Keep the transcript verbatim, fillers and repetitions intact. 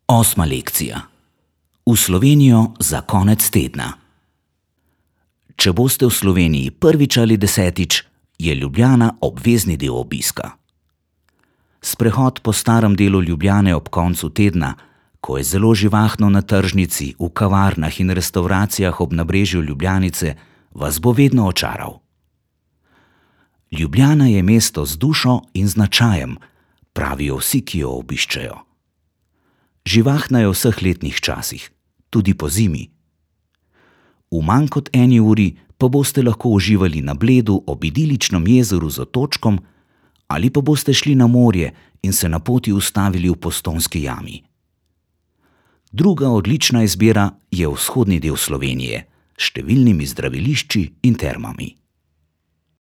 Osma lekcija. V Slovenijo za konec tedna. Če boste v Sloveniji prvič ali desetič, je Ljubljana obvezni del obiska. Sprehod po starem delu Ljubljane ob koncu tedna, ko je zelo živahno na tržnici, v kavarnah in restavracijah ob nabrežju Ljubljanice, vas bo vedno očaral. Ljubljana je mesto z dušo in značajem, pravijo vsi, ki jo obiščejo. Živahna je v vseh letnih časih, tudi pozimi. V manj kot eni uri pa boste lahko uživali na Bledu ob idiličnem jezeru z otočkom ali pa boste šli na morje in se na poti ustavili v Postojnski jami. Druga odlična izbira je vzhodni del Slovenije s številnimi zdravilišči in termami.